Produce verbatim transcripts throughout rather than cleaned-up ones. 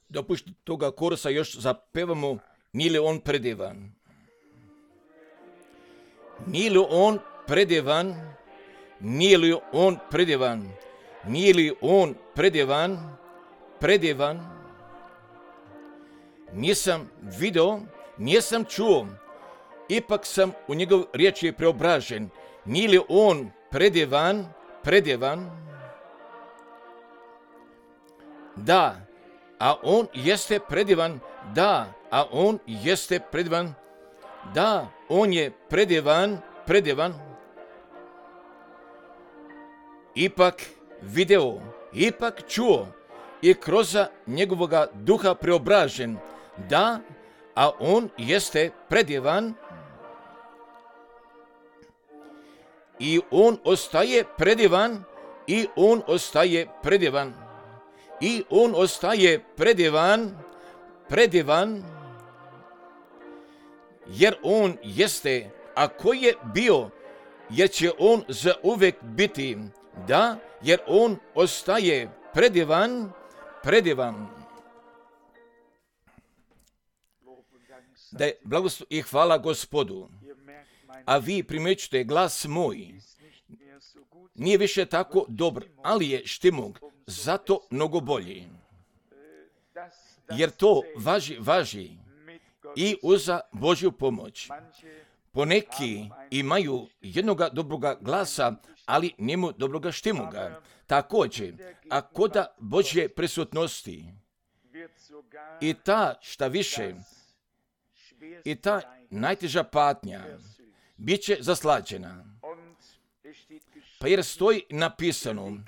Dopušti toga korusa još zapevamo, nije li on predivan? Nije li on predivan? Nije li on predivan? Nije li on predivan? Predivan? Nisam video, nisam čuo, ipak sam u njegov riječi preobražen. Nije li on predivan? Predivan? Da, a on jeste predivan. Da, a on jeste predivan. Da, on je predivan, predivan. Ipak video, ipak čuo i kroz njegovoga duha preobražen. Da, a on jeste predivan. I on ostaje predivan, i on ostaje predivan. I on ostaje predivan, predivan, jer on jeste, a ko je bio, jer će on zauvek biti. Da, jer on ostaje predivan, predivan. Da je blagoslov i hvala Gospodu. A vi primjećujete glas moj. Nije više tako dobar, ali je štimog, zato mnogo bolji. Jer to važi, važi i uza Božju pomoć. Poneki imaju jednoga dobroga glasa, ali njemu dobroga štimuga. Također, a koda Božje prisutnosti i ta šta više, i ta najteža patnja bit će zaslađena. Pa jer stoji napisano,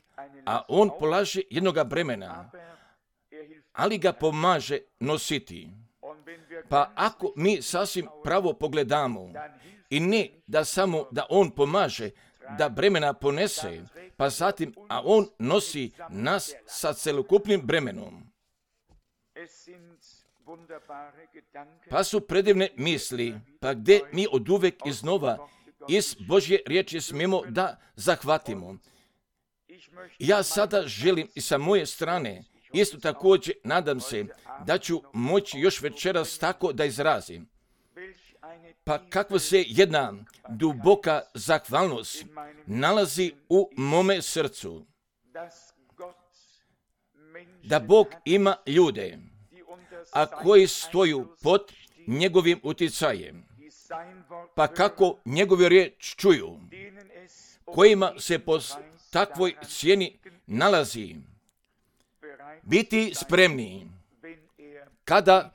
a on polaže jednoga bremena, ali ga pomaže nositi. Pa ako mi sasvim pravo pogledamo, i ne da samo da on pomaže, da bremena ponese, pa zatim, a on nosi nas sa celokupnim bremenom. Pa su predivne misli, pa gdje mi oduvek iznova iz Božje riječi smijemo da zahvatimo. Ja sada želim i sa moje strane, isto također nadam se da ću moći još večeras tako da izrazim. Pa kakva se jedna duboka zahvalnost nalazi u mome srcu. Da Bog ima ljude, a koji stoju pod njegovim utjecajem. Pa kako njegovu riječ čuju, kojima se po takvoj cijeni nalazi, biti spremni kada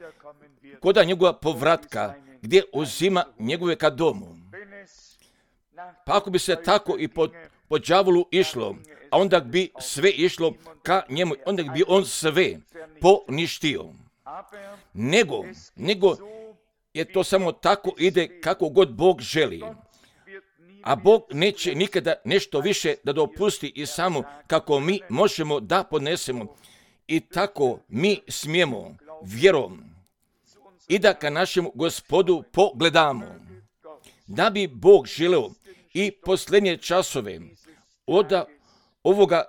koda njegova povratka, gdje uzima njegove ka domu. Pa ako bi se tako i po, po đavolu išlo, a onda bi sve išlo ka njemu, onda bi on sve poništio. Nego, nego je to samo tako ide kako god Bog želi. A Bog neće nikada nešto više da dopusti i samo kako mi možemo da podnesemo. I tako mi smijemo vjerom i da ka našemu Gospodu pogledamo. Da bi Bog želeo i posljednje časove od ovoga,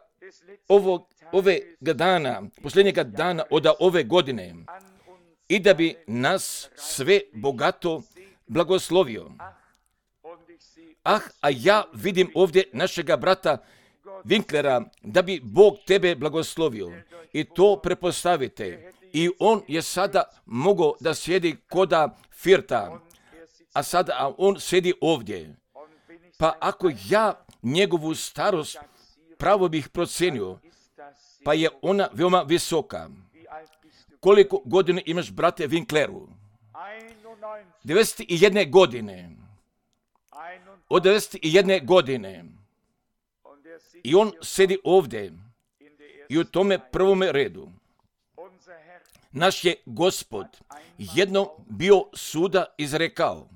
ovog, ove dana, posljednjega dana od ove godine, i da bi nas sve bogato blagoslovio. Ah, a ja vidim ovdje našega brata Winklera, da bi Bog tebe blagoslovio. I to prepostavite. I on je sada mogao da sjedi koda Firta, a sada a on sjedi ovdje. Pa ako ja njegovu starost pravo bih procenio, pa je ona veoma visoka. Koliko godine imaš, brate Winkleru? devedeset jedne godine. Od devedeset jedne godine. I on sedi ovdje i u tome prvome redu. Naš je Gospod jedno bio suda izrekao.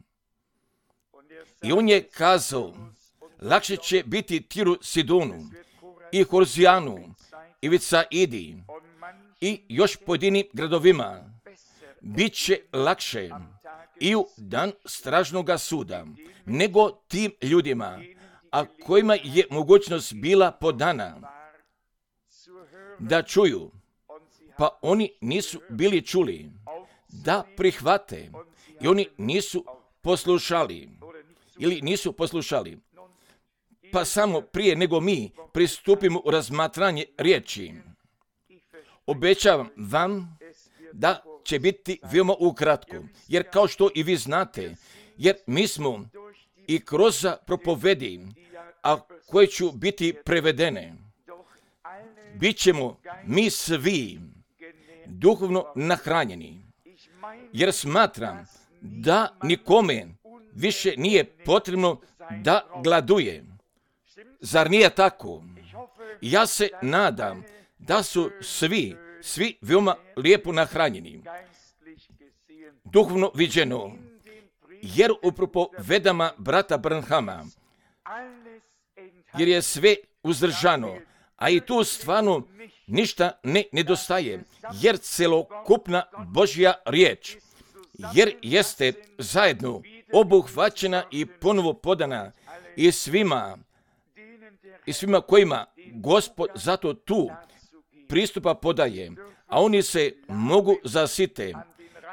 I on je kazao, lakše će biti Tiru, Sidonu i Horzijanu i Vicaidi i još pojedinim gradovima. Biće lakše i u dan stražnoga suda nego tim ljudima, a kojima je mogućnost bila podana da čuju pa oni nisu bili čuli da prihvate i oni nisu poslušali ili nisu poslušali. Pa samo prije nego mi pristupimo u razmatranje riječi, obećavam vam da će biti veoma ukratko, jer kao što i vi znate, jer mi smo i kroz propovedi, a koje ću biti prevedene, bit ćemo mi svi duhovno nahranjeni, jer smatram da nikome više nije potrebno da gladuje. Zar nije tako? Ja se nadam da su svi, svi veoma lijepo nahranjeni, duhovno viđeno, jer u propovedama brata Branhama, jer je sve uzdržano, a i tu stvarno ništa ne nedostaje, jer celokupna Božja riječ, jer jeste zajedno obuhvaćena i ponovo podana i svima, i svima kojima Gospod zato tu pristupa podaje, a oni se mogu zasite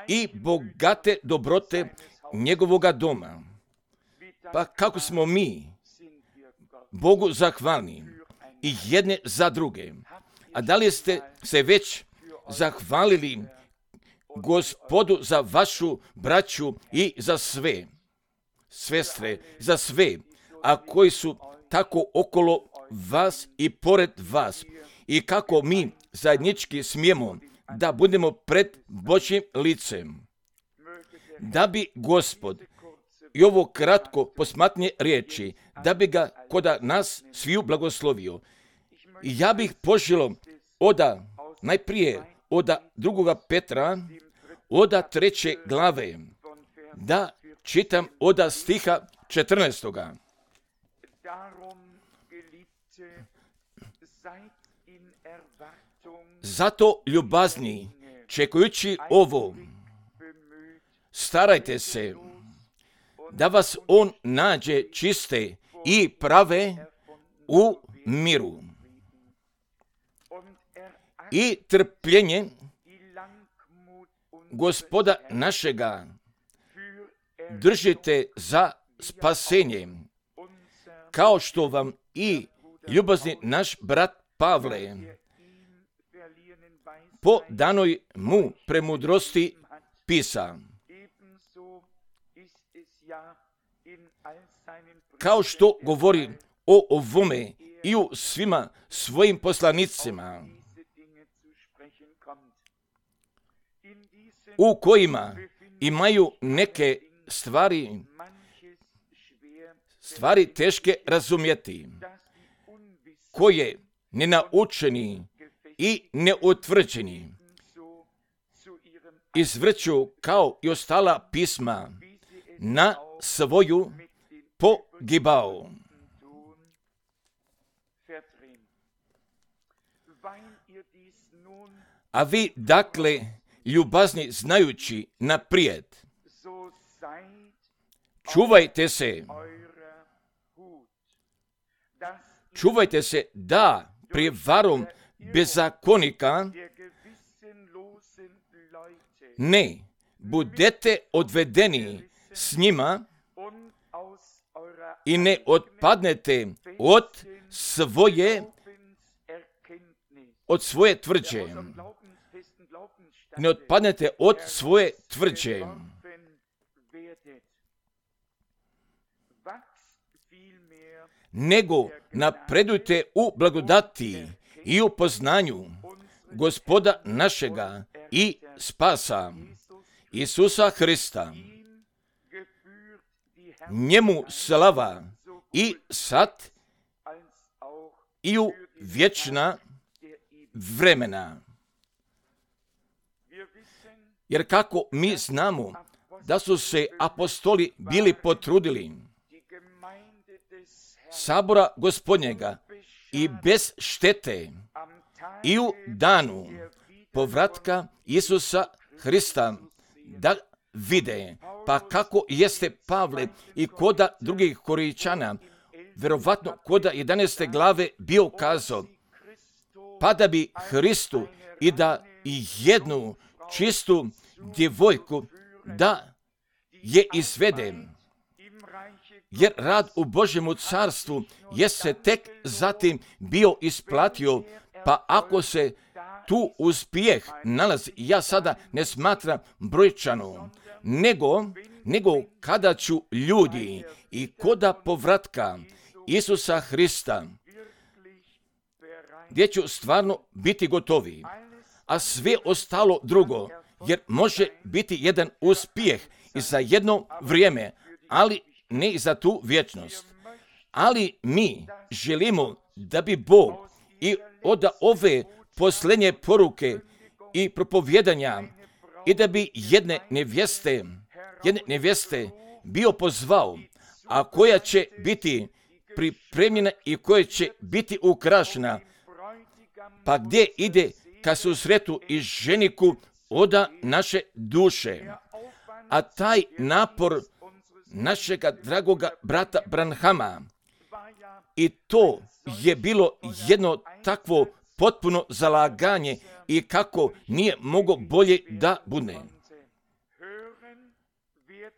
i bogate dobrote njegovoga doma. Pa kako smo mi Bogu zahvalni i jedne za druge. A da li ste se već zahvalili Gospodu za vašu braću i za sve, sestre, za sve, a koji su tako okolo vas i pored vas, i kako mi zajednički smijemo da budemo pred Božjim licem, da bi Gospod i ovo kratko posmatnje riječi, da bi ga kod nas sviju blagoslovio. I ja bih poželio oda, najprije oda drugoga Petra, oda treće glave, da čitam oda stiha četrnaestoga. Zato, ljubazni, čekajući ovo, starajte se da vas on nađe čiste i prave u miru. I trpljenje Gospoda našega držite za spasenje, kao što vam i ljubazni naš brat Pavle po danoj mu premudrosti pisa. Kao što govori o ovome i u svima svojim poslanicima, u kojima imaju neke stvari, stvari teške razumjeti, koje nenaučeni i neutvrđeni izvrću kao i ostala pisma na svoju pogibao. A vi, dakle, ljubazni znajući naprijed, čuvajte se, čuvajte se da prijevarom bezakonika ne budete odvedeni s njima i ne otpadnete od svoje od svoje tvrđe. Ne otpadnete od svoje tvrđe. Nego napredujte u blagodati i u poznanju Gospoda našega i spasa Isusa Hrista. Njemu slava i sad i u vječna vremena. Jer kako mi znamo da su se apostoli bili potrudili sabora Gospodnjega i bez štete i u danu povratka Isusa Hrista da vide, pa kako jeste Pavle i koda drugih Korinčana, verovatno koda jedanaeste glave bio kazao, pa da bi Hristu i da jednu čistu djevojku da je izvede. Jer rad u Božjemu carstvu je se tek zatim bio isplatio, pa ako se tu uspjeh nalazi, ja sada ne smatram brojčano, nego, nego kada ću ljudi i koda povratka Isusa Hrista, gdje ću stvarno biti gotovi, a sve ostalo drugo, jer može biti jedan uspjeh i za jedno vrijeme, ali ne i za tu vječnost. Ali mi želimo da bi Bog i od ove posljednje poruke i propovjedanja i da bi jedne nevjeste, jedne nevjeste bio pozvao, a koja će biti pripremljena i koja će biti ukrašena, pa gdje ide ka susretu i ženiku oda naše duše. A taj napor našega dragoga brata Branhama, i to je bilo jedno takvo potpuno zalaganje i kako nije moglo bolje da bude.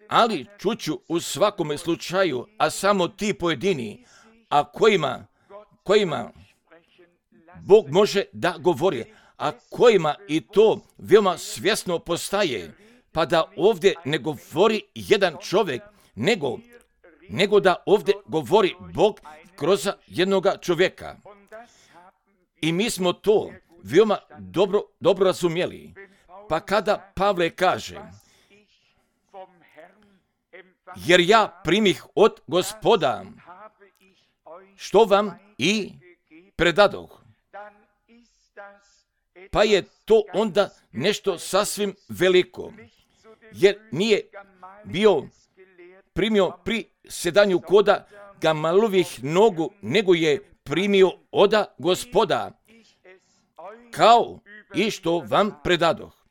Ali čuću u svakome slučaju, a samo ti pojedini, a kojima, kojima Bog može da govori, a kojima i to veoma svjesno postaje, pa da ovdje ne govori jedan čovjek, nego, nego da ovdje govori Bog kroz jednoga čovjeka. I mi smo to veoma dobro, dobro razumjeli. Pa kada Pavle kaže, jer ja primih od Gospoda, što vam i predadoh, pa je to onda nešto sasvim veliko, jer nije bio primio pri sedanju koda Gamalovih nogu, nego je primio oda Gospoda, kao i što vam predadoh.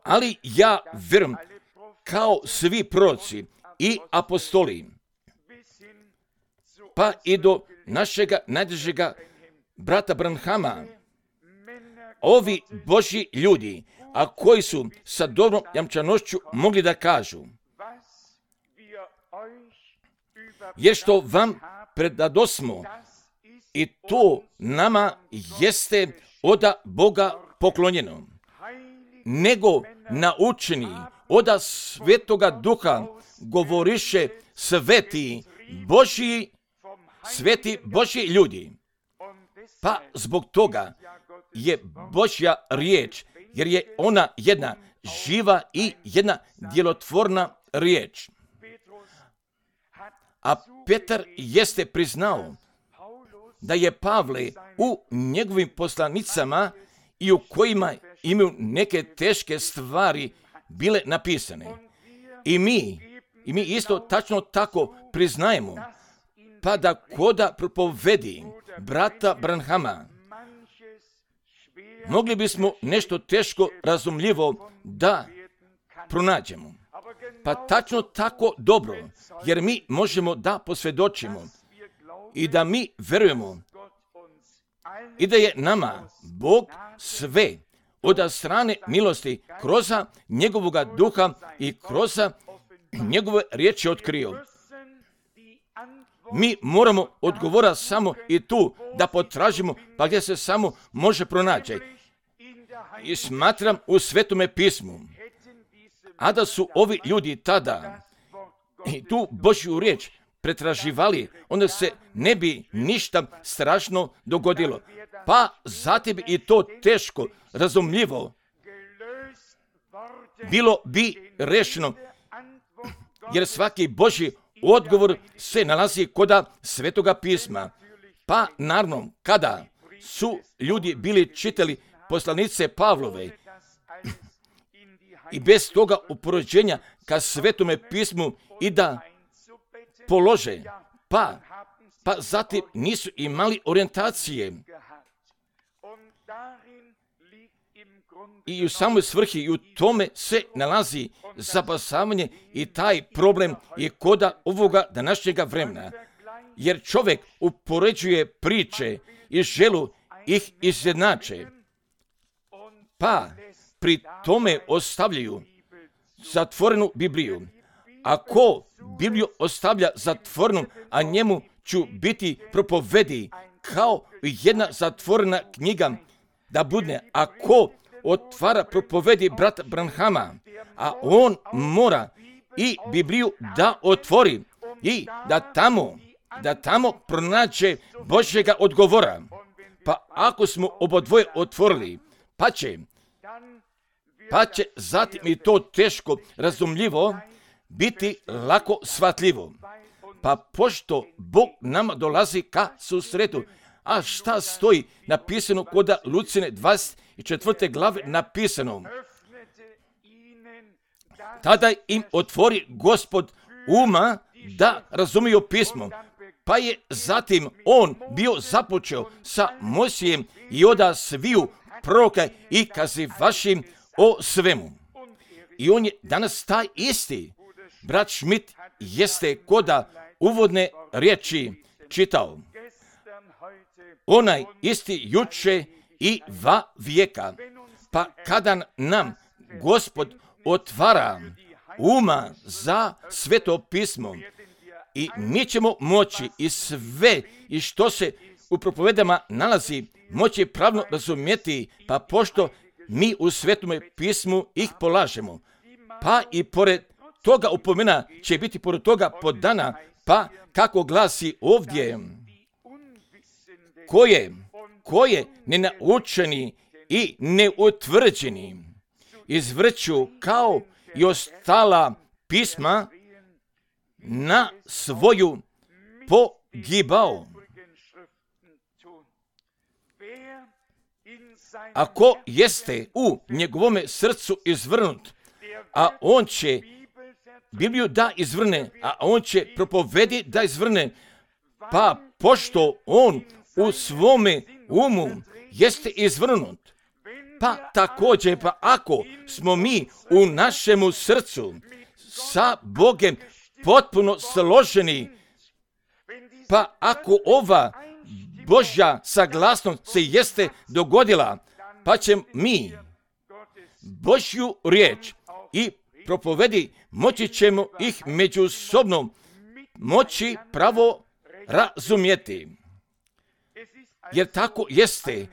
Ali ja vjerujem, kao svi proroci i apostoli, pa i do našega najdražega brata Branhama, ovi Božji ljudi, a koji su sa dobrom jamčanošću mogli da kažu, jer što vam predadosmo, i to nama jeste oda Boga poklonjeno, nego naučeni oda Svetoga Duha govoriše sveti Božji, sveti Božji ljudi. Pa zbog toga je Božja riječ, jer je ona jedna živa i jedna djelotvorna riječ. A Petar jeste priznao da je Pavle u njegovim poslanicama i u kojima imaju neke teške stvari bile napisane. I mi, i mi isto tačno tako priznajemo, pa da koda propovedi brata Branhama, mogli bismo nešto teško razumljivo da pronađemo. Pa tačno tako dobro, jer mi možemo da posvjedočimo i da mi verujemo i da je nama Bog sve od strane milosti kroz njegovoga duha i kroz njegove riječi otkrio. Mi moramo odgovora samo i tu da potražimo, pa gdje se samo može pronaći. I smatram u Svetome pismu, a da su ovi ljudi tada i tu Božju riječ pretraživali, onda se ne bi ništa strašno dogodilo. Pa zatim i to teško, razumljivo, bilo bi rešeno, jer svaki Božji odgovor se nalazi kod Svetoga pisma. Pa naravno, kada su ljudi bili čitali poslanice Pavlove i bez toga upoređenja ka Svetome pismu i da polože, pa, pa zatim nisu imali orijentacije. I u samoj svrhi i u tome se nalazi zapasavanje i taj problem i koda ovoga današnjega vremena. Jer čovjek upoređuje priče i želu ih izjednače. pa pri tome ostavljaju zatvorenu Bibliju. Ako Bibliju ostavlja zatvorenom, a njemu ću biti propovedi kao jedna zatvorena knjiga da bude. Ako otvara propovedi brata Branhama, a on mora i Bibliju da otvori i da tamo, da tamo pronađe Božjega odgovora. Pa ako smo obodvoje otvorili, pa će, pa će zatim i to teško razumljivo biti lako shvatljivo. Pa pošto Bog nama dolazi ka susretu, a šta stoji napisano kod Lucine dvadeset četvrte glave napisano? Tada im otvori Gospod uma da razumiju pismo. Pa je zatim on bio započeo sa Mojsijem i oda sviju proroka i kazivašim o svemu. I on je danas taj isti. Brat Schmidt jeste koda uvodne riječi čitao. Onaj isti juče i va vijeka. Pa kada nam Gospod otvara uma za sveto pismo, i mi ćemo moći i sve i što se u propovedama nalazi moći pravno razumjeti, pa pošto mi u svetom pismu ih polažemo, pa i pored toga upomena će biti pored toga podana, pa kako glasi ovdje, koje, koje nenaučeni i neutvrđeni izvrću kao i ostala pisma na svoju pogibao. Ako jeste u njegovome srcu izvrnut, a on će Bibliju da izvrne, a on će propovedi da izvrne, pa pošto on u svome umu jeste izvrnut, pa također, pa ako smo mi u našemu srcu sa Bogem potpuno složeni, pa ako ova Božja saglasnost se jeste dogodila, pa će mi Božju riječ i propovedi moći ćemo ih međusobno moći pravo razumjeti. Jer tako jeste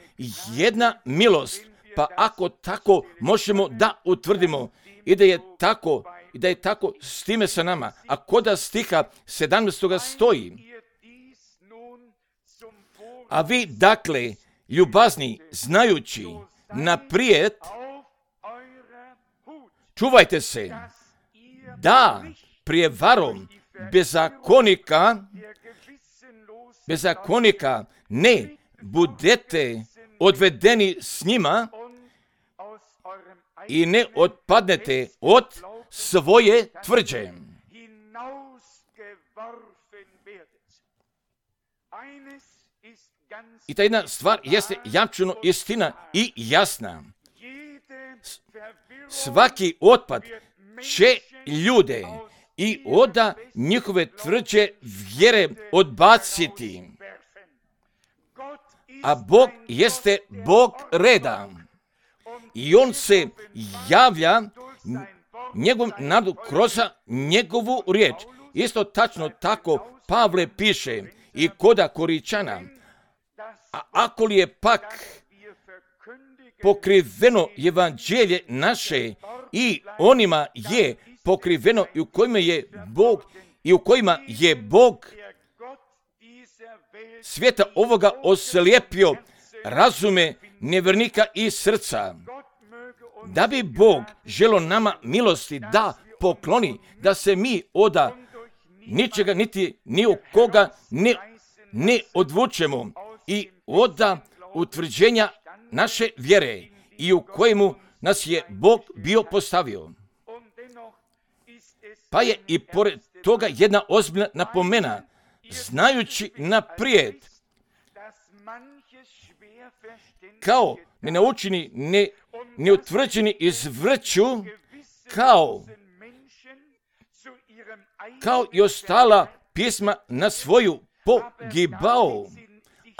jedna milost, pa ako tako možemo da utvrdimo i da je tako, i da je tako s time sa nama. A koda stiha sedamnaestoga stoji: a vi dakle, ljubazni, znajući naprijed, čuvajte se da prijevarom bezakonika, bezakonika ne budete odvedeni s njima i ne otpadnete od svoje tvrđe. I ta jedna stvar jeste jamčeno istina i jasna. Svaki otpad će ljude i oda njihove tvrđe vjere odbaciti. A Bog jeste Bog reda. I on se javlja njegovom narodu kroz njegovu riječ. Isto tačno tako Pavle piše i koda Koričana. A ako li je pak pokriveno evanđelje naše i onima je pokriveno i u kojima je Bog i u kojima je Bog svijeta ovoga oslijepio razume nevjernika i srca, da bi Bog želo nama milosti da pokloni, da se mi oda ničega niti ni u koga ne, ne odvučemo i oda utvrđenja naše vjere i u kojemu nas je Bog bio postavio. Pa je i pored toga jedna ozbiljna napomena, znajući naprijed, kao nenaučeni, ne, neutvrđeni izvrću, kao, kao i ostala pisma na svoju pogibao,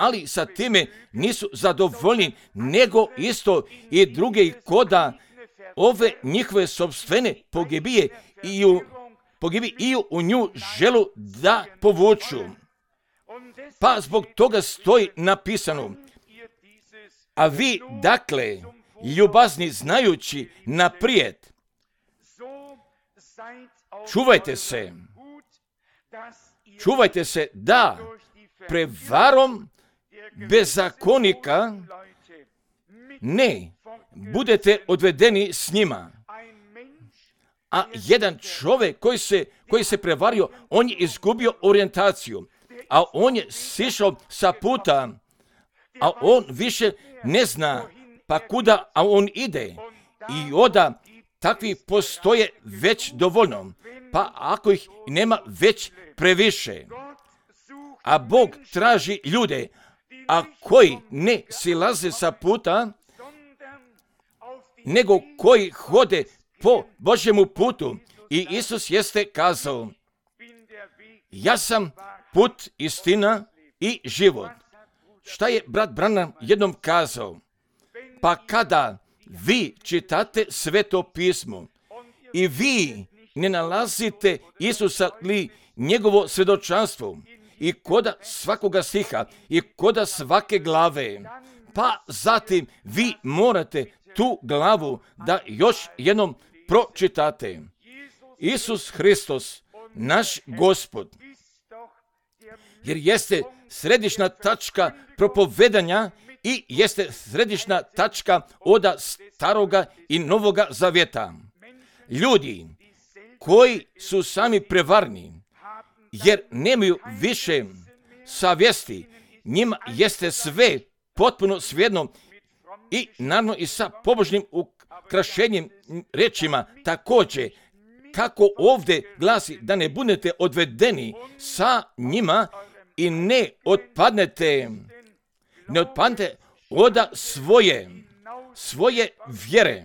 ali sa time nisu zadovoljni, nego isto i druge i koda ove njihove sopstvene pogibije i u, pogibi i u nju želu da povuču. Pa zbog toga stoji napisano, a vi, dakle, ljubazni znajući naprijed, čuvajte se, čuvajte se da prevarom bezakonika ne budete odvedeni s njima. A jedan čovjek koji se, koji se prevario, on je izgubio orijentaciju, a on je sišao sa puta, a on više ne zna pa kuda a on ide. I onda takvi postoje već dovoljno, pa ako ih nema već previše. A Bog traži ljude, a koji ne silaze sa puta, nego koji hode po Božjemu putu. I Isus jeste kazao, ja sam put, istina i život. Šta je brat Branham jednom kazao? Pa kada vi čitate Sveto pismo i vi ne nalazite Isusa li njegovo svjedočanstvo i koda svakoga stiha i koda svake glave, pa zatim vi morate tu glavu da još jednom pročitate. Isus Hristos, naš Gospod, jer jeste središnja tačka propovedanja i jeste središnja tačka oda staroga i novoga zavjeta. Ljudi koji su sami prevarni, jer nemaju više savjesti, njima jeste sve potpuno svejedno i naravno i sa pobožnim ukrašenjem rečima također, kako ovdje glasi da ne budete odvedeni sa njima i ne otpadnete, ne otpadnete oda svoje, svoje vjere.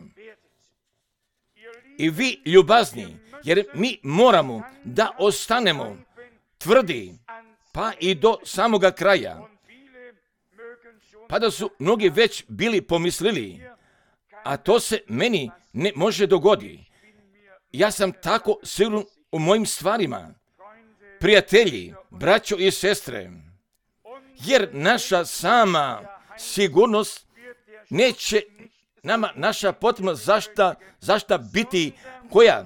I vi ljubazni, jer mi moramo da ostanemo tvrdi, pa i do samoga kraja. Pa da su mnogi već bili pomislili, a to se meni ne može dogoditi. Ja sam tako siguran u mojim stvarima, prijatelji, braćo i sestre, jer naša sama sigurnost neće nama naša potrebna zašta, zašta biti koja,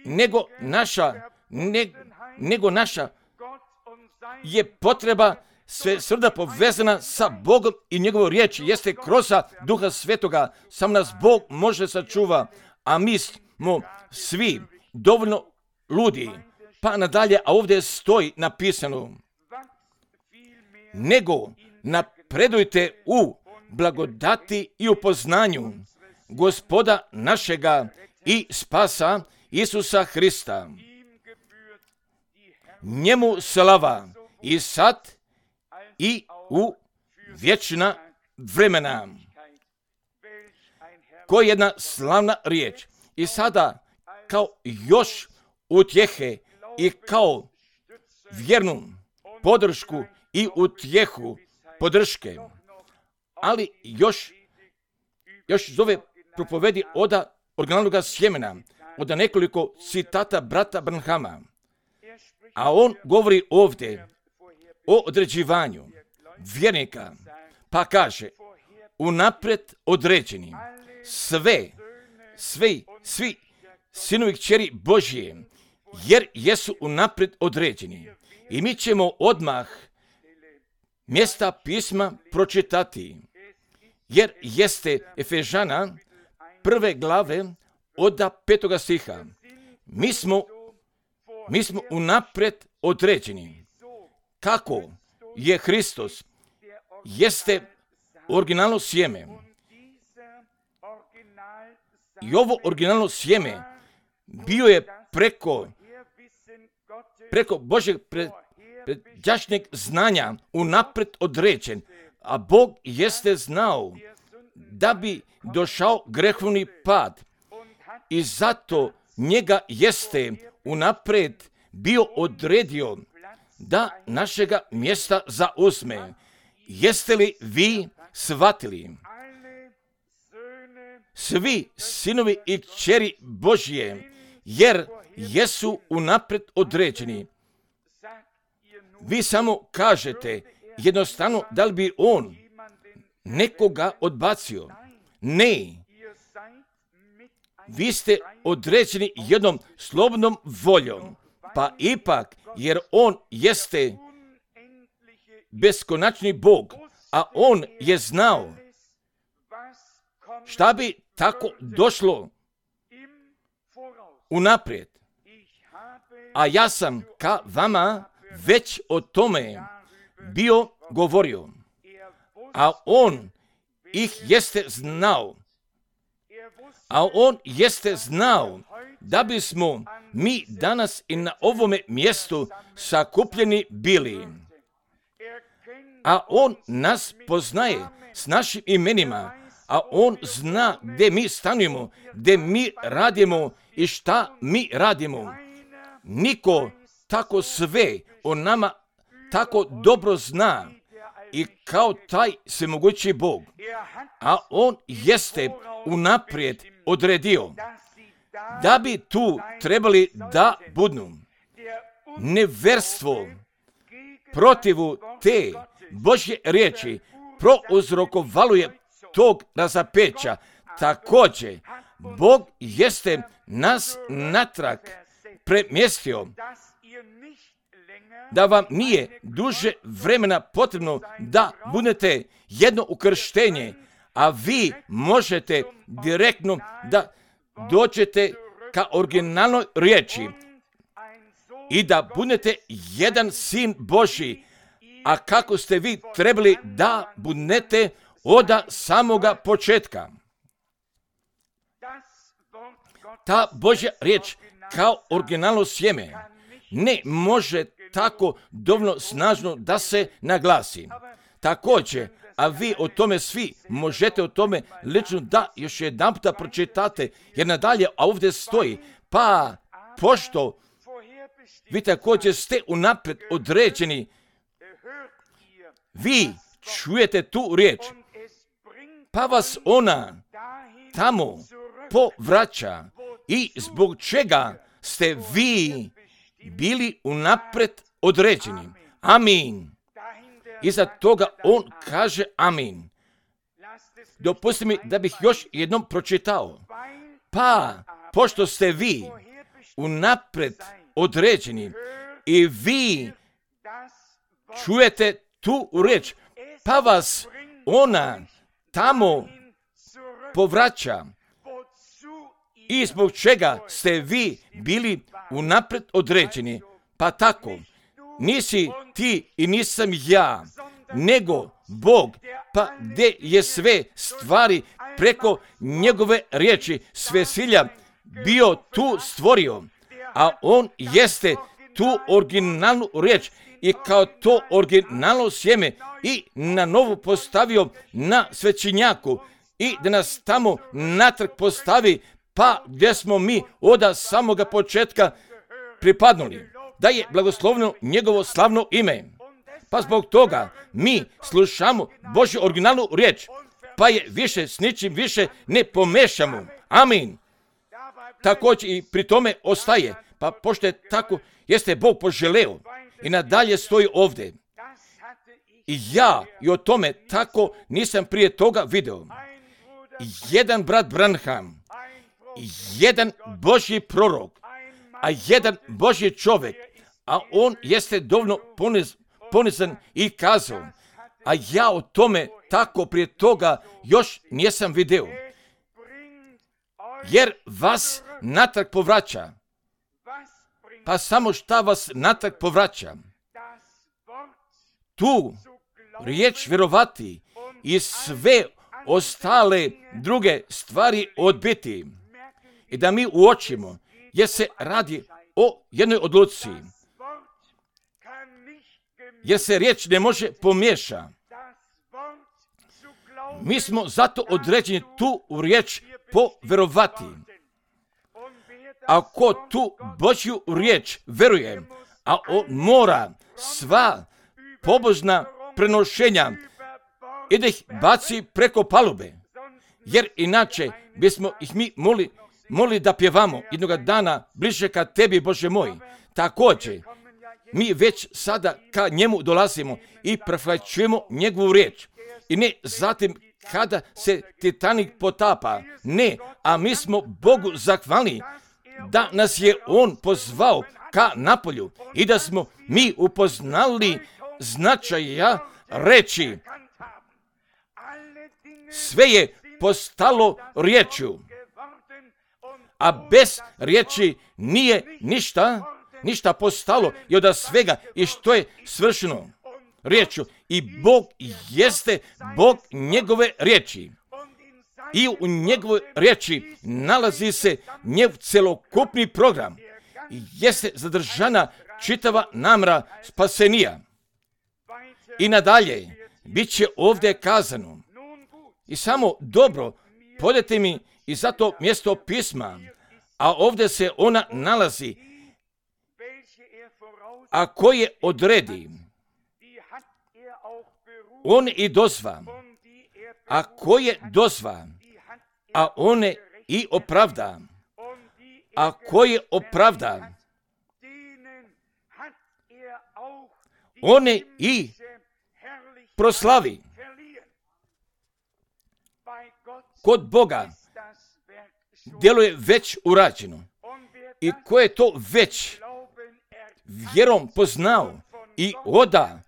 nego naša, ne, nego naša je potreba sve srda povezana sa Bogom i njegovom riječi, jeste kroz Duha Svetoga, sam nas Bog može sačuva, a mi smo svi dovoljno ludi. Pa nadalje, a ovdje stoji napisano, nego napredujte u blagodati i u poznanju Gospoda našega i spasa Isusa Hrista. Njemu slava i sad i u vječna vremena. Koja je jedna slavna riječ. I sada kao još utjehe i kao vjernu podršku i utjehu podrške. Ali još, još zove propovedi oda originalnog sjemena, oda nekoliko citata brata Branhama. A on govori ovdje o određivanju vjernika, pa kaže, unaprijed određeni, sve, sve, svi sinovi kćeri Božije, jer jesu unaprijed određeni. I mi ćemo odmah mjesta pisma pročitati, jer jeste Efežana prve glave od petoga stiha. Mi smo, mi smo unaprijed određeni. Kako je Hristos, jeste originalno sjeme. I ovo originalno sjeme bio je preko, preko Božeg pred, predjašnjeg znanja unaprijed određen, a Bog jeste znao da bi došao grehovni pad i zato njega jeste unaprijed bio odredio da našega mjesta zauzme. Jeste li vi shvatili? Svi sinovi i kćeri Božje, jer jesu unaprijed određeni. Vi samo kažete jednostavno da li bi on nekoga odbacio. Ne. Vi ste određeni jednom slobodnom voljom, pa ipak, jer on jeste beskonačni Bog, a on je znao šta bi tako došlo unaprijed. A ja sam ka vama već o tome bio govorio, a on ih jeste znao. A on jeste znao da bismo mi danas i na ovome mjestu sakupljeni bili. A on nas poznaje s našim imenima, a on zna gdje mi stanujemo, gdje mi radimo i šta mi radimo. Niko tako sve o nama tako dobro zna i kao taj svemogući Bog. A on jeste unaprijed odredio da bi tu trebali da budnu. Neverstvo protivu te Božje riječi prouzrokovalo je tog razapeća. Također, Bog jeste nas natrag premjestio, da vam nije duže vremena potrebno da budete jedno ukrštenje, a vi možete direktno da dođete ka originalnoj riječi i da budete jedan sin Božji, a kako ste vi trebali da budete od samoga početka. Ta Božja riječ kao originalno sjeme ne može tako dovoljno snažno da se naglasi. Također, a vi o tome svi možete o tome lično da još jedan puta pročitate, jer nadalje ovdje stoji, pa pošto vi također ste unaprijed određeni, vi čujete tu riječ, pa vas ona tamo povraća i zbog čega ste vi bili unaprijed određeni. Amin. Iza toga on kaže amin. Dopustite mi da bih još jednom pročitao. Pa, pošto ste vi unaprijed određeni i vi čujete tu riječ, pa vas ona tamo povraća i zbog čega ste vi bili unaprijed određeni. Pa tako, nisi ti i nisam ja, nego Bog, pa gdje je sve stvari preko njegove riječi svesilja bio tu stvorio, a on jeste tu originalnu riječ i kao to originalno sjeme i na novu postavio na svećenjaku i da nas tamo natrag postavi, pa gdje smo mi od samoga početka pripadnuli, da je blagoslovno njegovo slavno ime. Pa zbog toga mi slušamo Božju originalnu riječ, pa je više s ničim više ne pomešamo. Amin. Također i pri tome ostaje, pa pošto je tako, jeste Bog poželeo i nadalje stoji ovdje. I ja i o tome tako nisam prije toga video. Jedan brat Branham, jedan Božji prorok, a jedan Božji čovjek, a on jeste dovoljno poniz, ponizan i kazao, a ja o tome tako prije toga još nisam video. Jer vas natrag povraća. Pa samo šta vas natrag povraća? Tu riječ vjerovati i sve ostale druge stvari odbiti. I da mi uočimo, jer se radi o jednoj odluci. Jer se riječ ne može pomiješa. Mi smo zato određeni tu riječ povjerovati. Ako tu Božju riječ veruje, a on mora sva pobožna prenošenja i da ih baci preko palube. Jer inače bismo ih mi moli, moli da pjevamo jednoga dana bliže ka tebi, Bože moj. Također, mi već sada ka njemu dolazimo i prihvaćujemo njegovu riječ. I ne zatim kada se Titanik potapa. Ne, a mi smo Bogu zahvalni da nas je On pozvao ka napolju i da smo mi upoznali značaja reći. Sve je postalo riječju, a bez riječi nije ništa, ništa postalo i od svega i što je svršeno riječju. I Bog jeste Bog njegove riječi. I u njegovoj riječi nalazi se njegov celokupni program. Jeste zadržana čitava namra spasenija. I nadalje, bit će ovdje kazano. I samo dobro, podajte mi i za to mjesto pisma, a ovdje se ona nalazi, a koje odredi, on i dozva, a koje dozva, a one i opravda, a koje opravda, one i proslavi. Kod Boga djelo je već urađeno. I ko je to već vjerom poznao i oda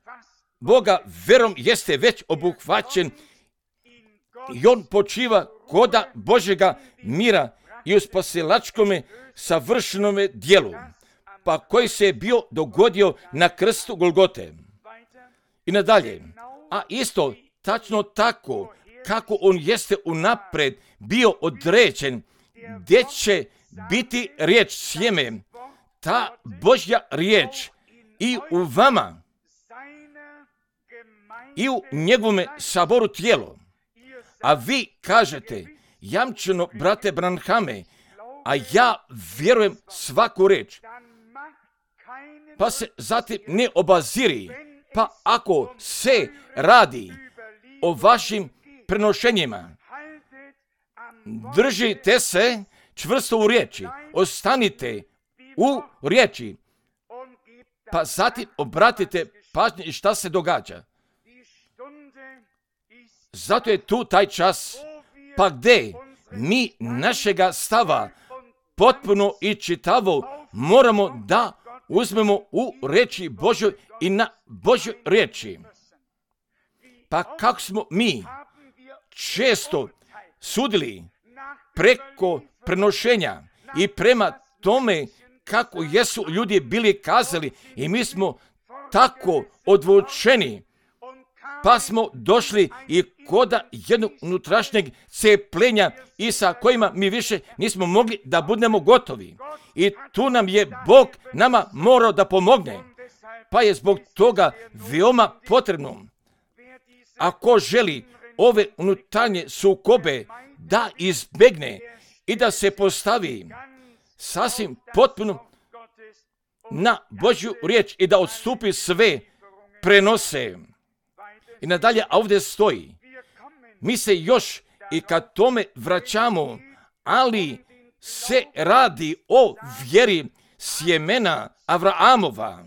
Boga vjerom jeste već obuhvaćen i on počiva koda Božjega mira i u spasilačkome savršenome djelu, pa koji se je bio dogodio na krstu Golgote. I nadalje, a isto tačno tako kako on jeste unapred bio određen, gdje će biti riječ sjeme, ta Božja riječ i u vama i u njegovome saboru tijelo. A vi kažete, jamčeno, brate Branhame, a ja vjerujem svaku riječ. Pa se zatim ne obaziri, pa ako se radi o vašim prenošenjima, držite se čvrsto u riječi, ostanite u riječi, pa zatim obratite pažnju i šta se događa. Zato je tu taj čas, pa gdje mi našega stava potpuno i čitavo moramo da uzmemo u riječi Božoj i na Božoj riječi. Pa kako smo mi često sudili preko prenošenja i prema tome kako jesu ljudi bili kazali i mi smo tako odvučeni, pa smo došli i koda jednog unutrašnjeg cepljenja i sa kojima mi više nismo mogli da budemo gotovi. I tu nam je Bog nama morao da pomogne, pa je zbog toga veoma potrebno, ako želi ove unutarnje sukobe da izbegne i da se postavi sasvim potpuno na Božju riječ i da odstupi sve prenose. I nadalje, a ovdje stoji, mi se još i kad tome vraćamo, ali se radi o vjeri sjemena Avraamova,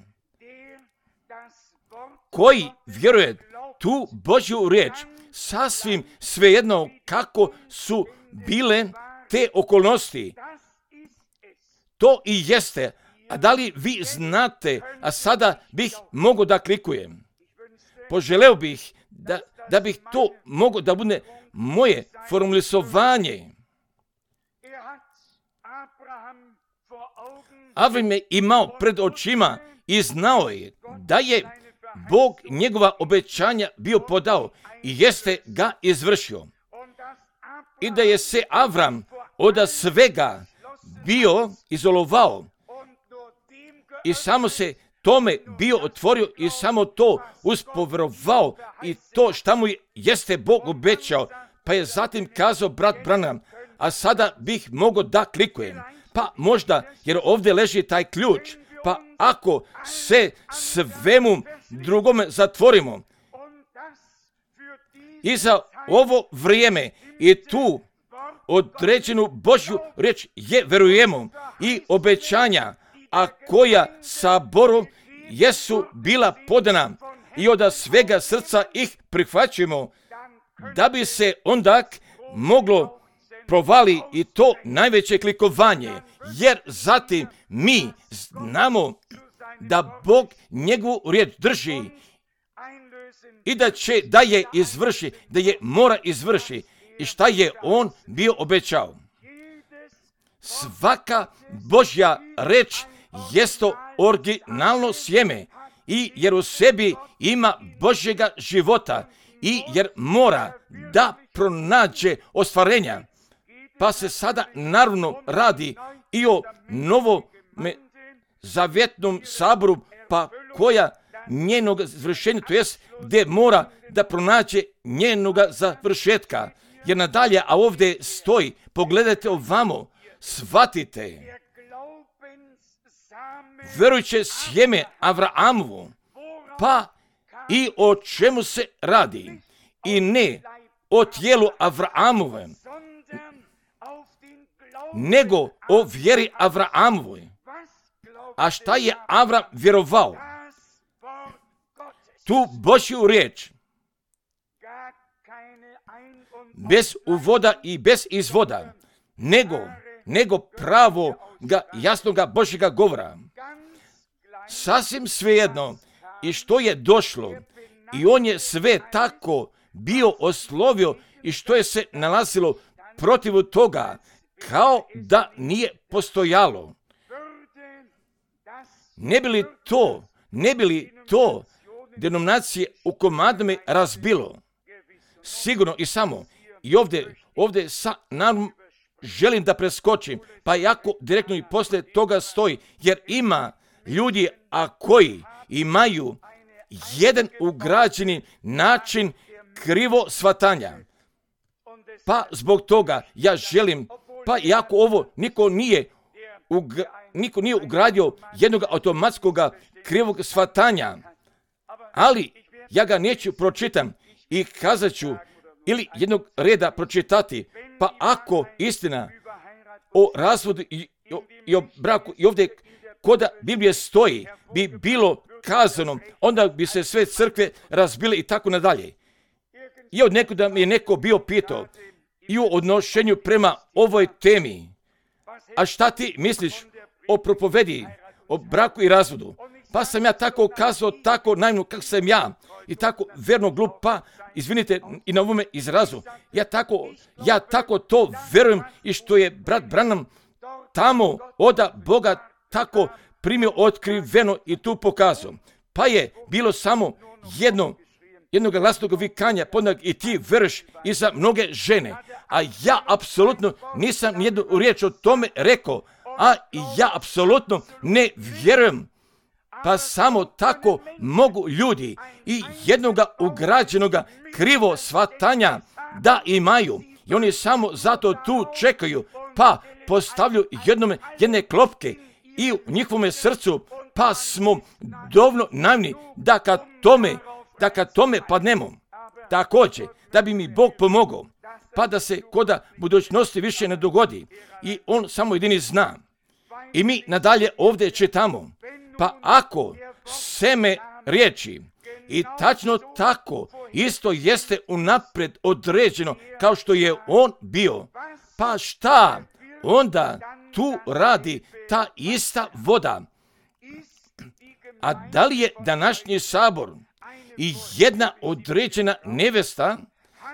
koji vjeruje tu Božju riječ, sasvim svejedno kako su bile te okolnosti. To i jeste. A da li vi znate, a sada bih mogao da klikujem. Poželeo bih da, da bih to mogao da bude moje formulisovanje. Avram je imao pred očima i znao je da je Bog njegova obećanja bio podao i jeste ga izvršio. I da je se Avram od svega bio izolovao i samo se tome bio otvorio i samo to uspovjerovao i to šta mu jeste Bog obećao, pa je zatim kazao brat Branham, a sada bih mogao da klikujem. Pa možda, jer ovdje leži taj ključ, pa ako se svemu drugome zatvorimo i za ovo vrijeme i tu određenu Božju riječ je verujemo i obećanja, a koja saboru jesu bila podana i od svega srca ih prihvaćujemo, da bi se onda moglo provali i to najveće klikovanje, jer zatim mi znamo da Bog njegovu riječ drži i da će da je izvrši, da je mora izvrši i šta je on bio obećao. Svaka Božja reč jesto originalno sjeme i jer u sebi ima Božjega života i jer mora da pronađe ostvarenja. Pa se sada naravno radi i o novom zavjetnom saboru, pa koja njenog završenja, to jest gdje mora da pronađe njenoga završetka. Jer nadalje, a ovdje stoji, pogledajte ovamo, shvatite, verujuće sjeme Avraamovu, pa i o čemu se radi, i ne o tijelu Avraamove, nego o vjeri Avraamovoj. A šta je Avram vjerovao? Tu Božju riječ, bez uvoda i bez izvoda, nego, nego pravo ga, jasnoga Božjega govora. Sasvim svejedno i što je došlo, i on je sve tako bio oslovio i što je se nalazilo protiv toga, kao da nije postojalo. Ne bi li to, ne bi li to denominacije u komadama razbilo? Sigurno i samo. I ovdje, ovdje sa, naravno, želim da preskočim, pa jako direktno i poslije toga stoji, jer ima ljudi, a koji imaju jedan ugrađeni način krivo shvatanja. Pa zbog toga ja želim, pa jako ovo niko nije, ugra, niko nije ugradio jednog automatskog krivog shvatanja, ali ja ga neću pročitam i kazat ću ili jednog reda pročitati, pa ako istina o razvodu i, i, i o braku i ovdje koda Biblije stoji bi bilo kazano, onda bi se sve crkve razbile i tako nadalje. I od nekuda mi je neko bio pitao i u odnošenju prema ovoj temi, a šta ti misliš o propovedi, o braku i razvodu? Pa sam ja tako kazao, tako naivno kako sam ja i tako verno glup, pa izvinite i na ovome izrazu. Ja tako, ja tako to verujem i što je brat Branham tamo oda Boga tako primio otkriveno i tu pokazao. Pa je bilo samo jedno, jednog glasnog vikanja, podnog i ti veruješ i za mnoge žene. A ja apsolutno nisam nijednu riječ o tome rekao, a ja apsolutno ne vjerujem. Pa samo tako mogu ljudi i jednoga ugrađenoga krivo shvatanja da imaju. I oni samo zato tu čekaju, pa postavljaju jednome, jedne klopke i u njihovome srcu, pa smo dovoljno naivni da kad tome, da kad tome padnemo. Također, da bi mi Bog pomogao, pa da se koda budućnosti više ne dogodi. I on samo jedini zna. I mi nadalje ovdje čitamo. Pa ako seme riječi i tačno tako isto jeste unaprijed određeno kao što je on bio, pa šta onda tu radi ta ista voda? A da li je današnji sabor i jedna određena nevesta,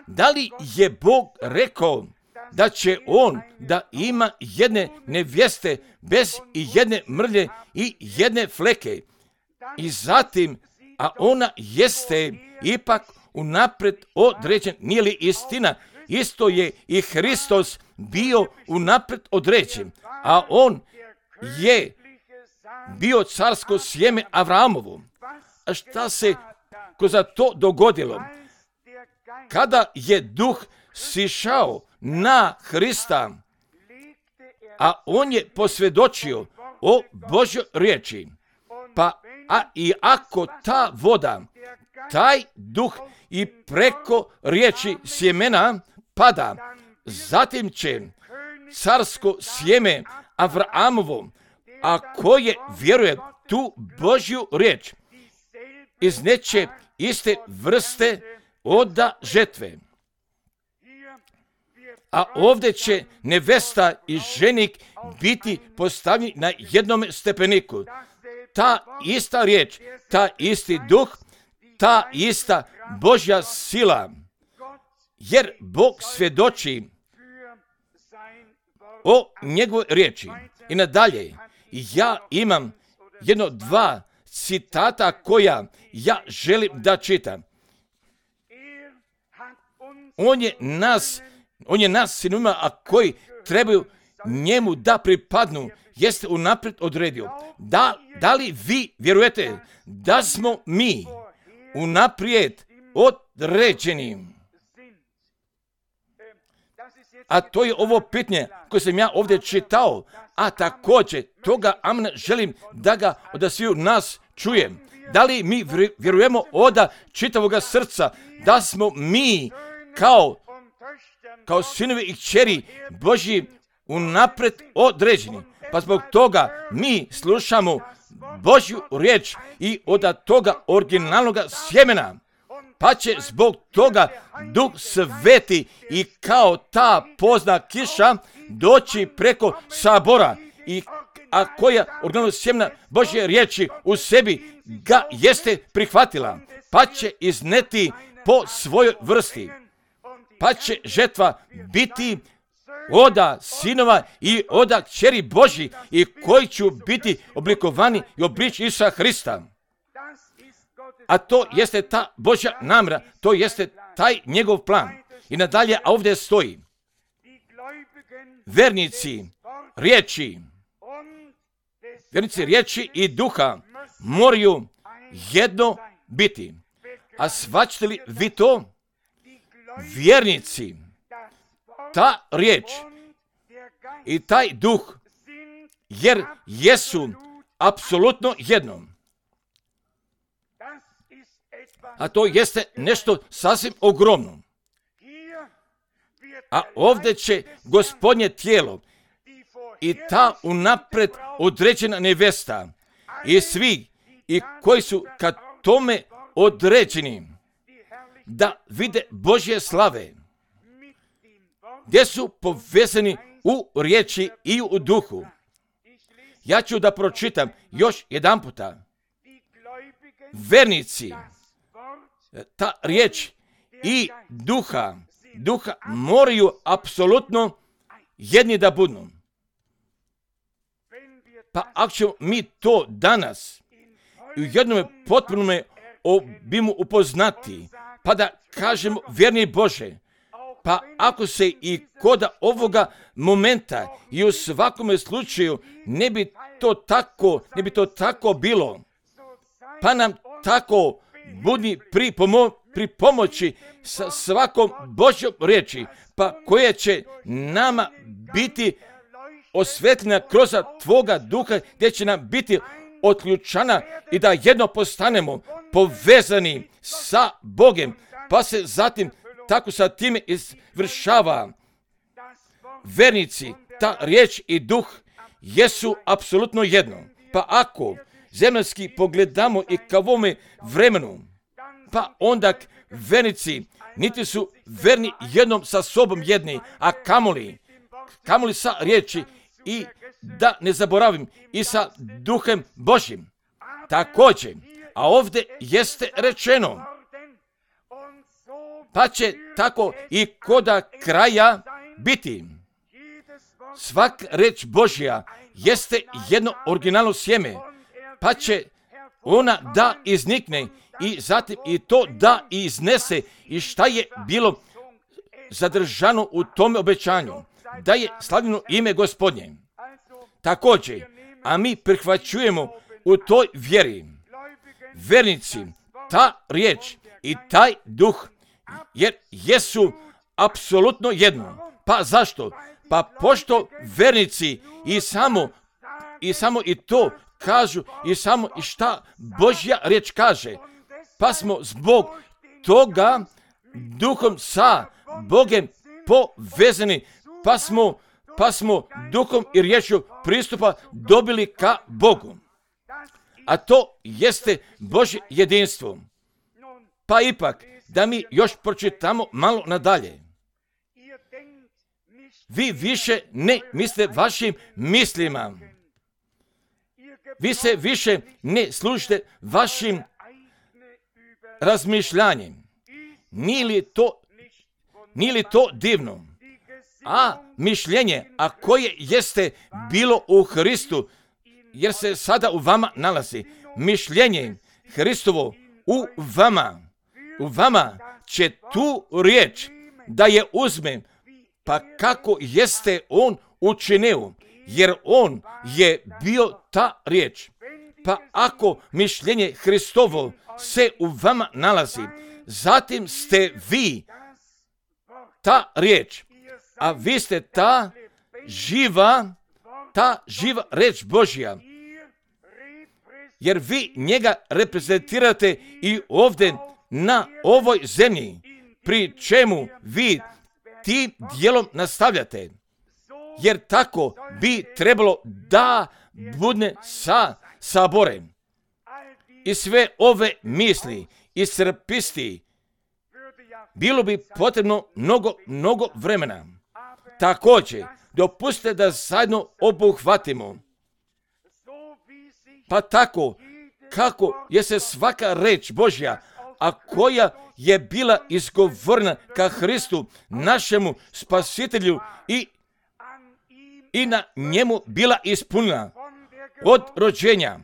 da li je Bog rekao da će on da ima jedne nevjeste bez i jedne mrlje i jedne fleke. I zatim, a ona jeste ipak unaprijed određen, nije li istina? Isto je i Hristos bio unaprijed određen, a on je bio carsko sjeme Avraamovo. A šta se kroz to dogodilo? Kada je duh sišao na Hrista, a on je posvjedočio o Božjoj riječi, pa a i ako ta voda, taj duh i preko riječi sjemena pada. Zatim će carsko sjeme Avramovo, a koje vjeruje tu Božju riječ, izneće iste vrste oda žetve. A ovdje će nevesta i ženik biti postavljeni na jednom stepeniku. Ta ista riječ, ta isti duh, ta ista Božja sila, jer Bog svjedoči o njegovoj riječi. I nadalje, ja imam jedno dva citata koja ja želim da čitam. On je nas, on je nas sinovima, a koji trebaju njemu da pripadnu, jeste unaprijed odredio. Da, da li vi vjerujete da smo mi unaprijed određeni? A to je ovo pitanje koje sam ja ovdje čitao, a također toga amna želim da ga od sviju nas čujem. Da li mi vjerujemo od čitavoga srca da smo mi kao, kao sinovi i kćeri Božji unaprijed određeni? Pa zbog toga mi slušamo Božju riječ i od toga originalnog sjemena. Pa će zbog toga Duh Sveti i kao ta pozna kiša doći preko sabora, i a koja originalno sjemena Božje riječi u sebi ga jeste prihvatila, pa će izneti po svojoj vrsti. Pa će žetva biti oda sinova i oda kćeri Božji, i koji će biti oblikovani i oblič Isusa Hrista. A to jeste ta Božja namjera, to jeste taj njegov plan. I nadalje, a ovdje stoji: vernici riječi, vernici riječi i duha moraju jedno biti. A shvaćate li vi to? Vjernici, ta riječ i taj duh, jer jesu apsolutno jedno. A to jeste nešto sasvim ogromno. A ovdje će Gospodnje tijelo i ta unaprijed određena nevesta i svi i koji su kad tome određeni da vide Božje slave, gdje su povezani u riječi i u duhu. Ja ću da pročitam još jedan puta. Vernici, ta riječ i duha, duha moraju apsolutno jedni da budu. Pa ako ćemo mi to danas u jednom potpunom obimu upoznati, pa da kažemo vjerni Bože, pa ako se i kod ovoga momenta i u svakome slučaju ne bi to tako, ne bi to tako bilo, pa nam tako budi pri, pomo, pri pomoći sa svakom Božjom riječi, pa koja će nama biti osvetljena kroz Tvoga duha, gdje će nam biti otključana i da jedno postanemo povezani sa Bogem, pa se zatim tako sa time izvršava. Vernici, ta riječ i duh jesu apsolutno jedno. Pa ako zemaljski pogledamo i ka ovome vremenu, pa onda vernici niti su verni jednom sa sobom jedni, a kamoli, kamoli sa riječi, i da ne zaboravim i sa duhem Božjim. Također, a ovdje jeste rečeno, pa će tako i koda kraja biti. Svak reč Božja jeste jedno originalno sjeme, pa će ona da iznikne i zatim i to da iznese i šta je bilo zadržano u tome obećanju, da je slavljeno ime Gospodnje. Također, a mi prihvaćujemo u toj vjeri, vernici, ta riječ i taj duh, jer jesu apsolutno jedno. Pa zašto? Pa pošto vernici i samo i samo i to kažu i samo i šta Božja riječ kaže, pa smo zbog toga duhom sa Bogem povezani, pa smo, pa smo duhom i riječju pristupa dobili ka Bogu. A to jeste Božje jedinstvo. Pa ipak, da mi još pročitamo malo nadalje. Vi više ne mislite vašim mislima. Vi se više ne služite vašim razmišljanjem. Nije li to, nije li to divno? A mišljenje, a koje jeste bilo u Hristu, jer se sada u vama nalazi. Mišljenje Hristovo u vama. U vama će tu riječ da je uzme, pa kako jeste on učinio, jer on je bio ta riječ. Pa ako mišljenje Hristovo se u vama nalazi, zatim ste vi ta riječ, a vi ste ta živa, ta živa riječ Božja, jer vi njega reprezentirate i ovdje na ovoj zemlji, pri čemu vi tim dijelom nastavljate, jer tako bi trebalo da bude sa saborem. I sve ove misli i srpisti bilo bi potrebno mnogo, mnogo vremena. Također, dopustite da zajedno obuhvatimo. Pa tako, kako je se svaka reč Božja, a koja je bila izgovorena ka Hristu, našemu spasitelju i, i na njemu bila ispunjena od rođenja,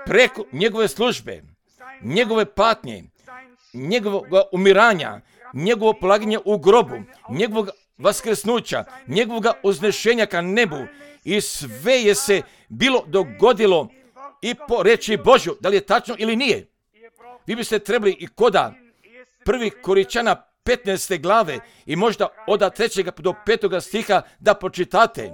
preko njegove službe, njegove patnje, njegovog umiranja, njegovo polaganje u grobu, njegovog vaskrsnuća, njegovog uznešenja ka nebu, i sve je se bilo dogodilo i po reči Božju. Da li je tačno ili nije? Vi biste trebali i koda prvi Koričana petnaeste glave i možda od trećega do petoga stiha da pročitate.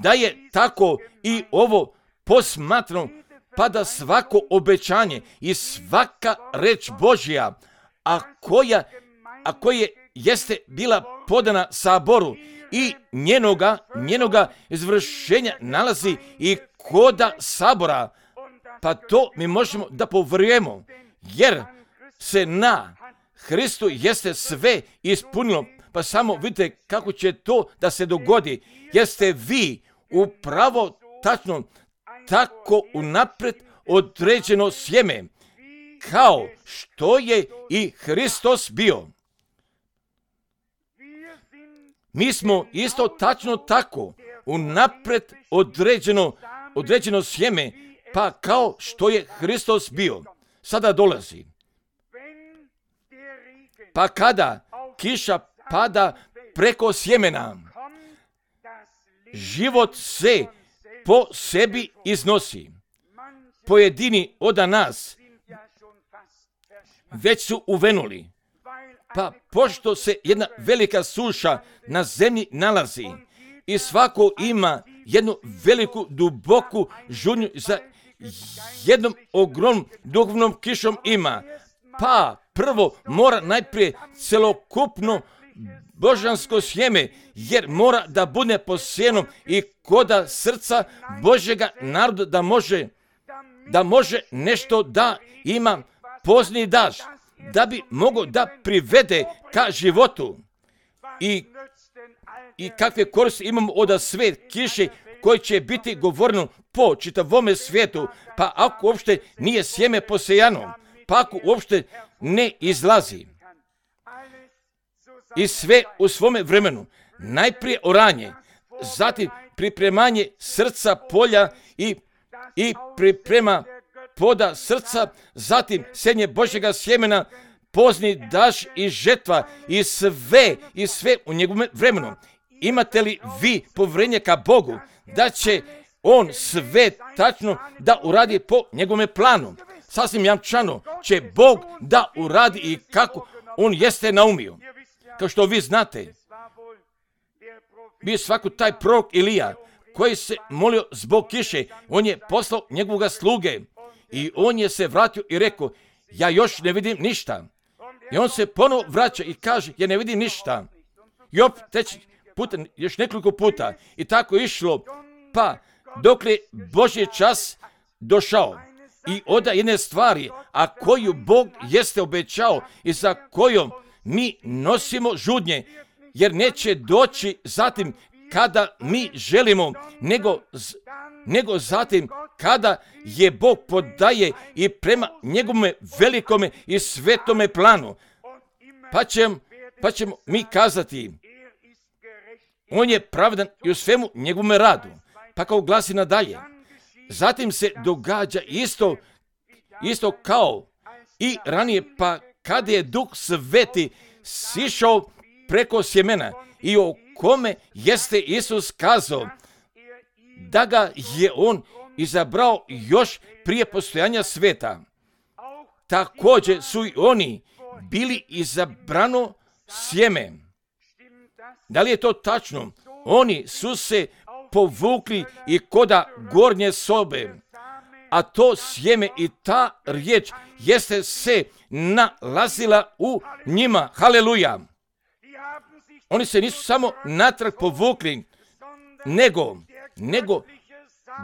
Da je tako i ovo posmatrano, pa da svako obećanje i svaka reč Božja, a koja, a koje jeste bila podana saboru i njenoga, njenoga izvršenja nalazi i koda sabora, pa to mi možemo da povjerujemo, jer se na Hristu jeste sve ispunilo. Pa samo vidite kako će to da se dogodi, jer ste vi upravo tačno tako unaprijed određeno sjeme, kao što je i Hristos bio. Mi smo isto tačno tako unaprijed određeno, određeno sjeme, pa kao što je Hristos bio. Sada dolazi. Pa kada kiša pada preko sjemena, život se po sebi iznosi. Pojedini od nas već su uvenuli. Pa pošto se jedna velika suša na zemlji nalazi i svako ima jednu veliku, duboku žudnju za jednom ogromnom duhovnom kišom ima, pa prvo mora najprije celokupno božansko sjeme, jer mora da bude posijeno i koda srca Božjega naroda, da može, da može nešto da ima pozni daž, da bi mogao da privede ka životu. I, i kakve koristi imamo od sve kiše koje će biti govoreno po čitavome svijetu, pa ako uopšte nije sjeme posejano, pa ako uopšte ne izlazi. I sve u svome vremenu, najprije oranje, zatim pripremanje srca polja i, i priprema poda srca, zatim senje Božjega sjemena, pozni daž i žetva, i sve, i sve u njegovom vremenu. Imate li vi povjerenje ka Bogu da će on sve tačno da uradi po njegovom planu? Sasvim jamčano će Bog da uradi i kako on jeste naumio. Kao što vi znate, bio svako taj prorok Ilija koji se molio zbog kiše, on je poslao njegovoga sluge i on je se vratio i rekao, ja još ne vidim ništa. I on se ponovo vraća i kaže, ja ne vidim ništa. I opet treći puta, još nekoliko puta. I tako je išlo, pa dok je Božji čas došao. I oda jedne stvari, a koju Bog jeste obećao i za kojom mi nosimo žudnje, jer neće doći zatim kada mi želimo, nego, nego zatim kada je Bog podaje i prema njegovome velikome i svetome planu. Pa, ćemo, pa ćemo mi kazati, on je pravedan i u svemu njegovome radu. Pa kao glasi nadalje. Zatim se događa isto, isto kao i ranije, pa kada je Duh Sveti sišao preko sjemena i o kome jeste Isus kazao da ga je on izabrao još prije postojanja sveta. Također su i oni bili izabrano sjeme. Da li je to tačno? Oni su se povukli i koda gornje sobe, a to sjeme i ta riječ jeste se nalazila u njima. Haleluja! Oni se nisu samo natrag povukli, nego, nego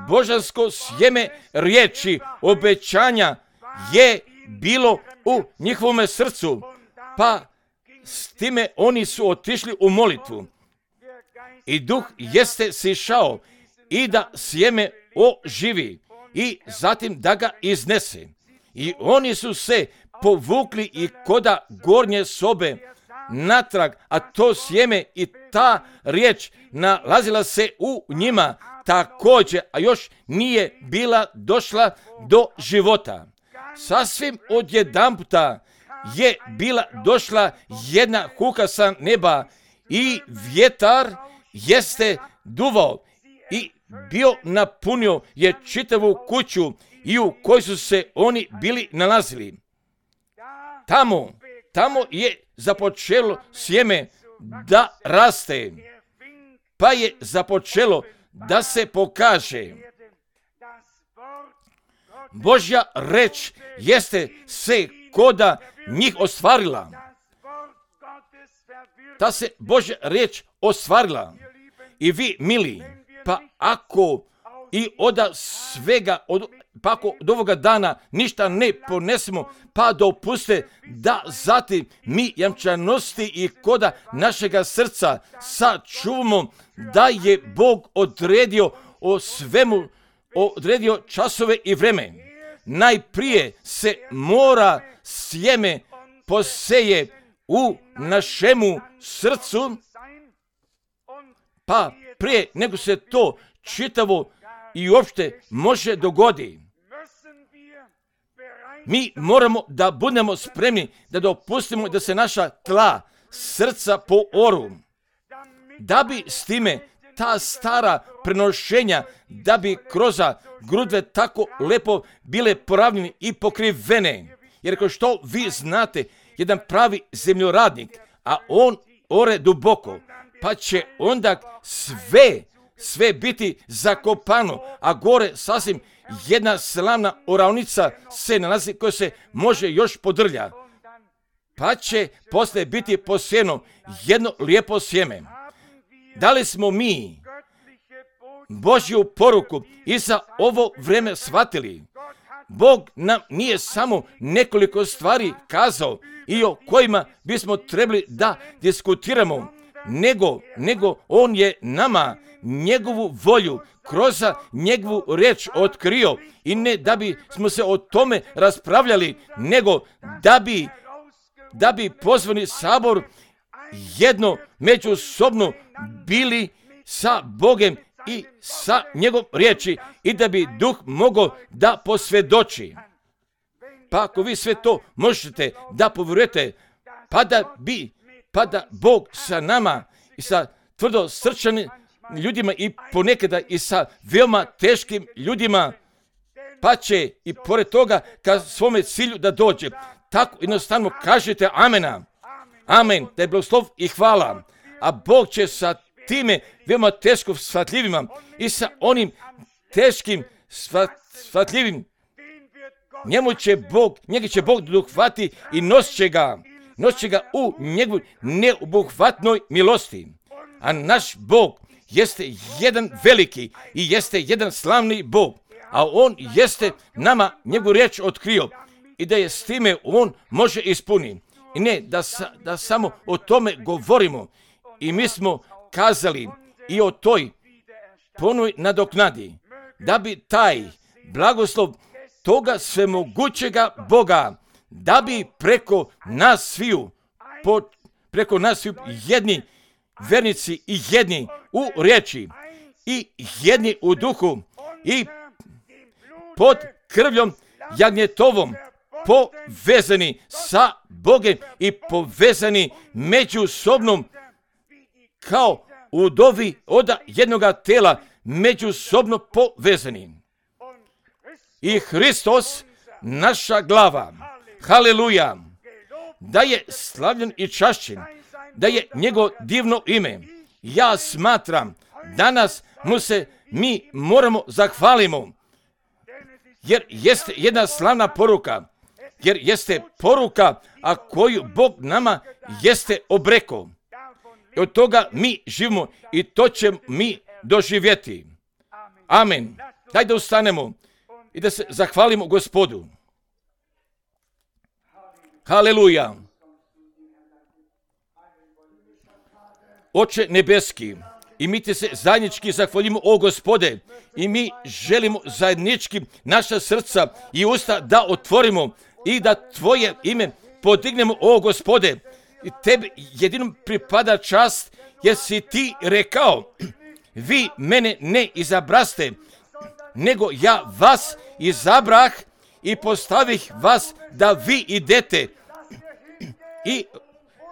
božansko sjeme riječi, obećanja je bilo u njihovome srcu, pa s time oni su otišli u molitvu. I Duh jeste sišao i da sjeme oživi i zatim da ga iznese. I oni su se povukli i koda gornje sobe natrag, a to sjeme i ta riječ nalazila se u njima također, a još nije bila došla do života. Sasvim odjedanputa je bila došla jedna huka sa neba i vjetar jeste duvao i bio napunio je čitavu kuću i u kojoj su se oni bili nalazili. Tamo, tamo je započelo sjeme da raste, pa je započelo da se pokaže. Božja reč jeste se koda njih ostvarila. Ta se Božja reč ostvarila. I vi, mili, pa ako i od svega, od, pa ako od ovoga dana ništa ne ponesemo, pa dopuste da zatim mi jamčanosti i koda našega srca sačuvamo da je Bog odredio o svemu, odredio časove i vreme. Najprije se mora sjeme poseje u našemu srcu, pa prije nego se to čitavo i uopšte može dogodi. Mi moramo da budemo spremni da dopustimo da se naša tla srca pooru, da bi s time ta stara prenošenja, da bi kroz grudve tako lepo bile poravnjene i pokrivene. Jer kao što vi znate, jedan pravi zemljoradnik, a on ore duboko, pa će onda sve, sve biti zakopano, a gore sasvim jedna slavna oravnica se nalazi koja se može još podrlja. Pa će poslije biti posijeno jedno lijepo sjeme. Da li smo mi Božju poruku i za ovo vreme shvatili? Bog nam nije samo nekoliko stvari kazao i o kojima bismo trebali da diskutiramo, nego, nego on je nama njegovu volju kroz njegovu riječ otkrio i ne da bi smo se o tome raspravljali, nego da bi, da bi pozvani sabor jedno međusobno bili sa Bogem i sa njegovom riječi i da bi Duh mogao da posvjedoči. Pa ako vi sve to možete da povjerujete, pa da bi, pa da Bog sa nama i sa tvrdo srčanim ljudima i ponekada i sa veoma teškim ljudima, pa će i pored toga ka svome cilju da dođe. Tako jednostavno kažete amena. Amen, da je blagoslov i hvala. A Bog će sa time veoma teško shvatljivima i sa onim teškim shvatljivim, njemu će Bog, njega će Bog dohvati i nosit će ga. nosi ga u njegovoj neobuhvatnoj milosti. A naš Bog jeste jedan veliki i jeste jedan slavni Bog, a On jeste nama njegovu riječ otkrio i da je s time On može ispuniti. I ne da, sa, da samo o tome govorimo. I mi smo kazali i o toj ponoj nadoknadi, da bi taj blagoslov toga svemogućega Boga, da bi preko nas sviju, po, preko nas sviju jedni vernici i jedni u riječi i jedni u duhu i pod krvljom jagnjetovom povezani sa Bogom i povezani međusobnom kao udovi od jednoga tela, međusobno povezani. I Hristos, naša glava, haleluja, da je slavljen i čašćen, da je njegovo divno ime. Ja smatram, danas mu se mi moramo zahvalimo, jer jeste jedna slavna poruka, jer jeste poruka, a koju Bog nama jeste obreko. I od toga mi živimo i to ćemo mi doživjeti. Amen. Daj da ustanemo i da se zahvalimo Gospodu. Haleluja. Oče nebeski, i mi te se zajednički zahvalimo, o Gospode, i mi želimo zajednički naša srca i usta da otvorimo i da Tvoje ime podignemo, o Gospode. I Tebi jedinom pripada čast, jer si Ti rekao, vi mene ne izabraste, nego ja vas izabrah i postavih vas da vi idete i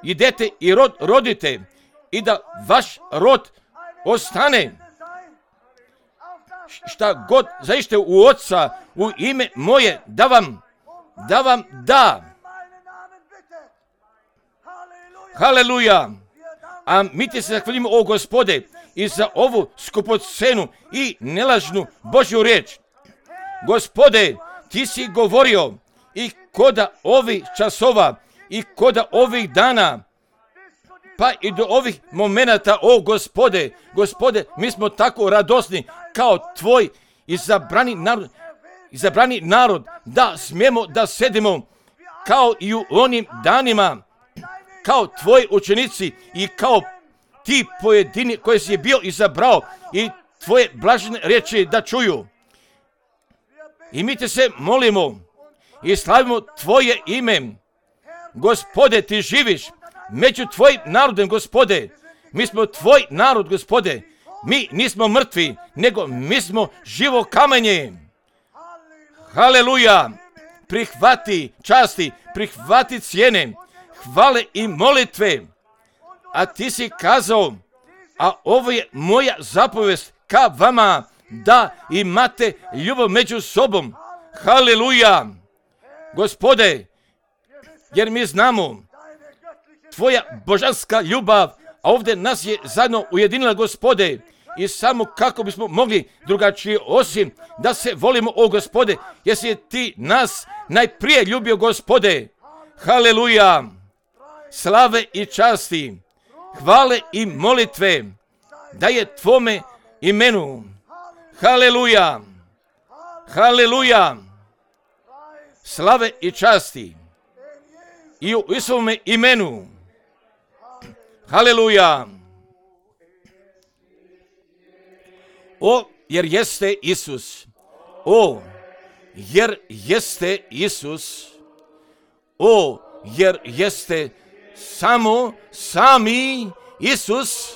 idete i rod rodite i da vaš rod ostane. Šta god zaište u Oca u ime moje, da vam da vam da. Haleluja. A mi ti se zahvalimo, o Gospode, i za ovu skupocenu i nelažnu Božju riječ. Gospode, ti si govorio i koda ovih časova i koda ovih dana, pa i do ovih momenata, o Gospode, Gospode, mi smo tako radosni kao Tvoj izabrani narod, izabrani narod, da smijemo da sedimo kao i u onim danima, kao Tvoji učenici i kao ti pojedini koji si je bio izabrao i Tvoje blažene riječi da čuju. I mi te se molimo i slavimo Tvoje ime. Gospode, Ti živiš među Tvojim narodom, Gospode. Mi smo Tvoj narod, Gospode. Mi nismo mrtvi, nego mi smo živo kamenje. Haleluja. Prihvati časti, prihvati cijene, hvale i molitve. A Ti si kazao, a ovo je moja zapovest ka vama, da imate ljubav među sobom. Haleluja. Gospode, jer mi znamo Tvoja božanska ljubav, a ovdje nas je zajedno ujedinila, Gospode, i samo kako bismo mogli drugačije osim da se volimo, o Gospode, jer si Ti nas najprije ljubio, Gospode. Haleluja. Slave i časti, hvale i molitve da je Tvome imenu. Haleluja. Haleluja. Slave i časti i u Isovome imenu. Haleluja. O, jer jeste Isus. O, jer jeste Isus. O, jer jeste samo sami Isus.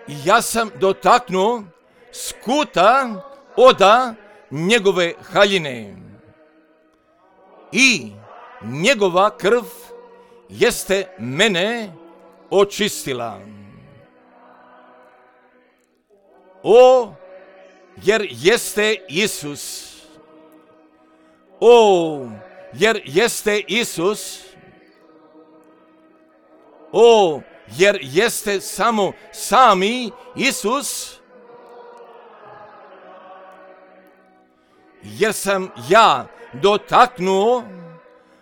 Ja sam dotaknuo skuta oda njegove haljine i njegova krv jeste mene očistila. O, jer jeste Isus. O, jer jeste Isus. O, jer jeste samo sami Isus. Jer sam ja dotaknuo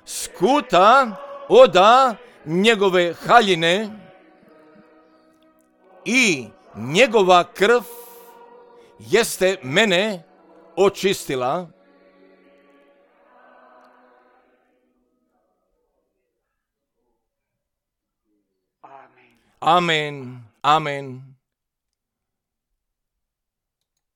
skuta oda njegove haljine i njegova krv jeste mene očistila. Amen, amen.